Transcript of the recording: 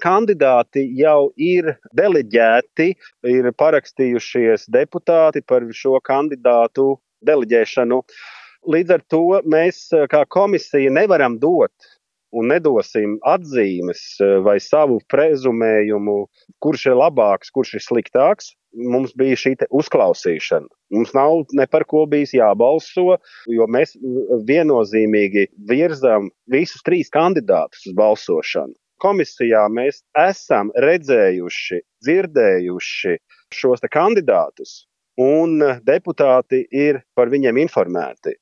Kandidāti jau ir deleģēti, ir parakstījušies deputāti par šo kandidātu deleģēšanu. Līdz ar to mēs kā komisija nevaram dot un nedosim atzīmes vai savu prezumējumu, kurš ir labāks, kurš ir sliktāks. Mums bija šī uzklausīšana. Mums nav ne par ko bijis jābalso, jo mēs viennozīmīgi virzām visus 3 kandidātus uz balsošanu. Komisijā mēs esam redzējuši, dzirdējuši šos kandidātus, un deputāti ir par viņiem informēti.